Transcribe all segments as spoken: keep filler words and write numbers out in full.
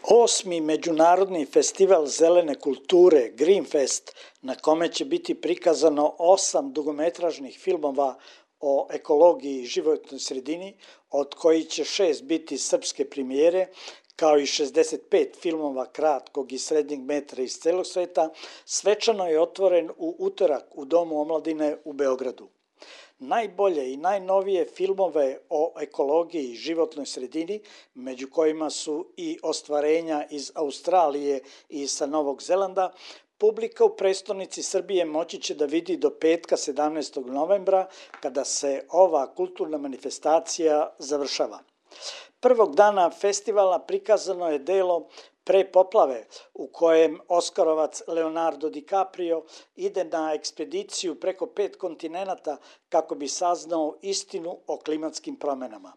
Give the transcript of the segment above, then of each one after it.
Osmi međunarodni festival zelene kulture Greenfest, na kome će biti prikazano osam dugometražnih filmova o ekologiji i životnoj sredini, od kojih će šest biti srpske premijere, kao i šezdeset pet filmova kratkog i srednjeg metra iz celog sveta, svečano je otvoren u utorak u Domu omladine u Beogradu. Najbolje i najnovije filmove o ekologiji i životnoj sredini, među kojima su i ostvarenja iz Australije i sa Novog Zelanda, publika u prestonici Srbije moći će da vidi do petka sedamnaestog novembra, kada se ova kulturna manifestacija završava. Prvog dana festivala prikazano je delo Pre poplave, u kojem Oskarovac Leonardo DiCaprio ide na ekspediciju preko pet kontinenata kako bi saznao istinu o klimatskim promenama.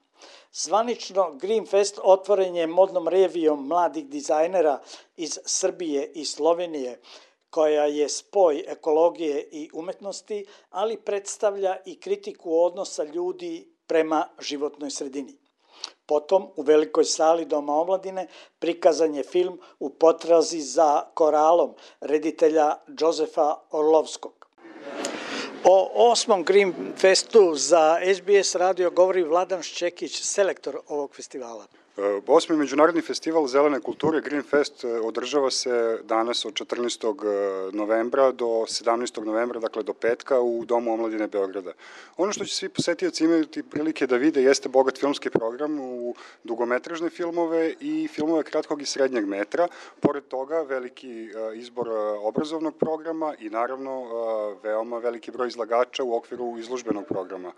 Zvanično Greenfest otvoren je modnom revijom mladih dizajnera iz Srbije i Slovenije, koja je spoj ekologije i umetnosti, ali predstavlja i kritiku odnosa ljudi prema životnoj sredini. Potom, u velikoj sali Doma omladine, prikazan je film U potrazi za koralom reditelja Đozefa Orlovskog. O osmom Greenfestu za S B S radio govori Vladan Šćekić, selektor ovog festivala. Osmi međunarodni festival zelene kulture Greenfest održava se danas od četrnaestog novembra do sedamnaestog novembra, dakle do petka u Domu omladine Beograda. Ono što će svi posetioci imati prilike da vide jeste bogat filmski program u dugometražne filmove i filmove kratkog i srednjeg metra. Pored toga veliki izbor obrazovnog programa i naravno veoma veliki broj izlagača u okviru izložbenog programa.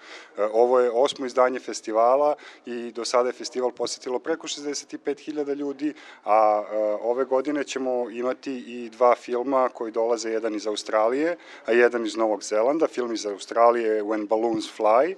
Ovo je osmo izdanje festivala i do sada je festival posetilo preko šezdeset pet hiljada ljudi, a ove godine ćemo imati i dva filma koji dolaze, jedan iz Australije, a jedan iz Novog Zelanda. Film iz Australije je When Balloons Fly,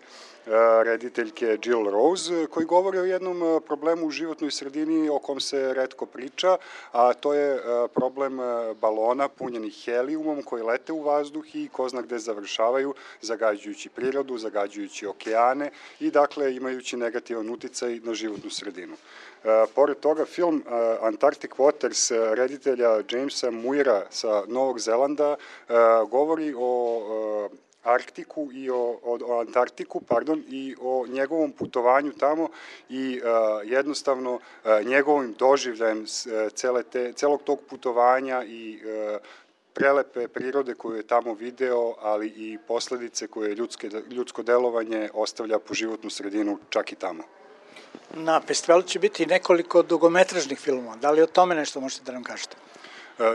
rediteljke Jill Rose, koji govori o jednom problemu u životnoj sredini o kom se retko priča, a to je problem balona punjenih helijumom koji lete u vazduh i ko zna gde završavaju, zagađujući prirodu, zagađujući okeane i dakle imajući negativan uticaj na životnu sredinu. Pored toga, film Antarctic Waters reditelja Jamesa Muira sa Novog Zelanda govori o Arktiku i o, o, o Antarktiku, pardon, i o njegovom putovanju tamo i uh, jednostavno uh, njegovim doživljajem cele te, celog tog putovanja i uh, prelepe prirode koju je tamo video, ali i posledice koje ljudske, ljudsko delovanje ostavlja po životnu sredinu čak i tamo. Na festivalu će biti nekoliko dugometražnih filmova. Da li o tome nešto možete da nam kažete?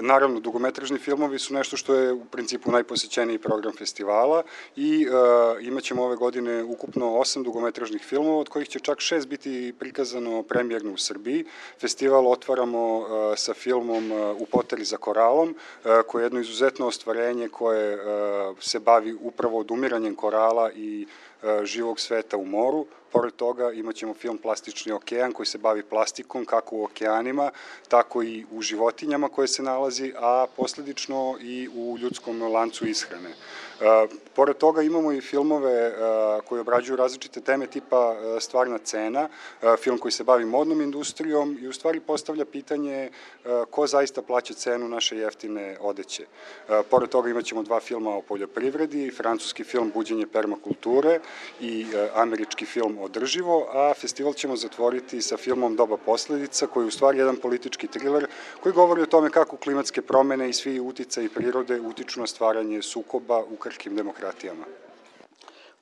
Naravno, dugometražni filmovi su nešto što je u principu najposećeniji program festivala i uh, imat ćemo ove godine ukupno osam dugometražnih filmova, od kojih će čak šest biti prikazano premijerno u Srbiji. Festival otvaramo uh, sa filmom uh, U potrazi za koralom, uh, koje je jedno izuzetno ostvarenje koje uh, se bavi upravo odumiranjem korala i uh, živog sveta u moru. Pored toga imat ćemo film Plastični okean koji se bavi plastikom kako u okeanima, tako i u životinjama koje se nalazi, a posledično i u ljudskom lancu ishrane. Uh, pored toga imamo i filmove uh, koji obrađuju različite teme tipa uh, Stvarna cena, uh, film koji se bavi modnom industrijom i u stvari postavlja pitanje uh, ko zaista plaća cenu naše jeftine odeće. Uh, pored toga imat ćemo dva filma o poljoprivredi, francuski film Buđenje permakulture i uh, američki film Održivo, a festival ćemo zatvoriti sa filmom Doba posledica, koji je u stvari jedan politički triler koji govori o tome kako klimatske promene i svi uticaji prirode utiču na stvaranje sukoba u krhkim demokratijama.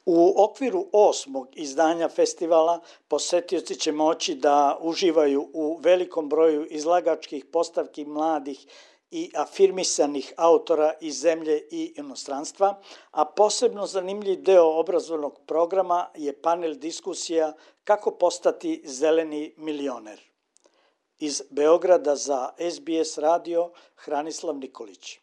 U okviru osmog izdanja festivala posetioci će moći da uživaju u velikom broju izlagačkih postavki mladih i afirmisanih autora iz zemlje i inostranstva, a posebno zanimljiv deo obrazovnog programa je panel diskusija Kako postati zeleni milioner. Iz Beograda za S B S radio Hranislav Nikolić.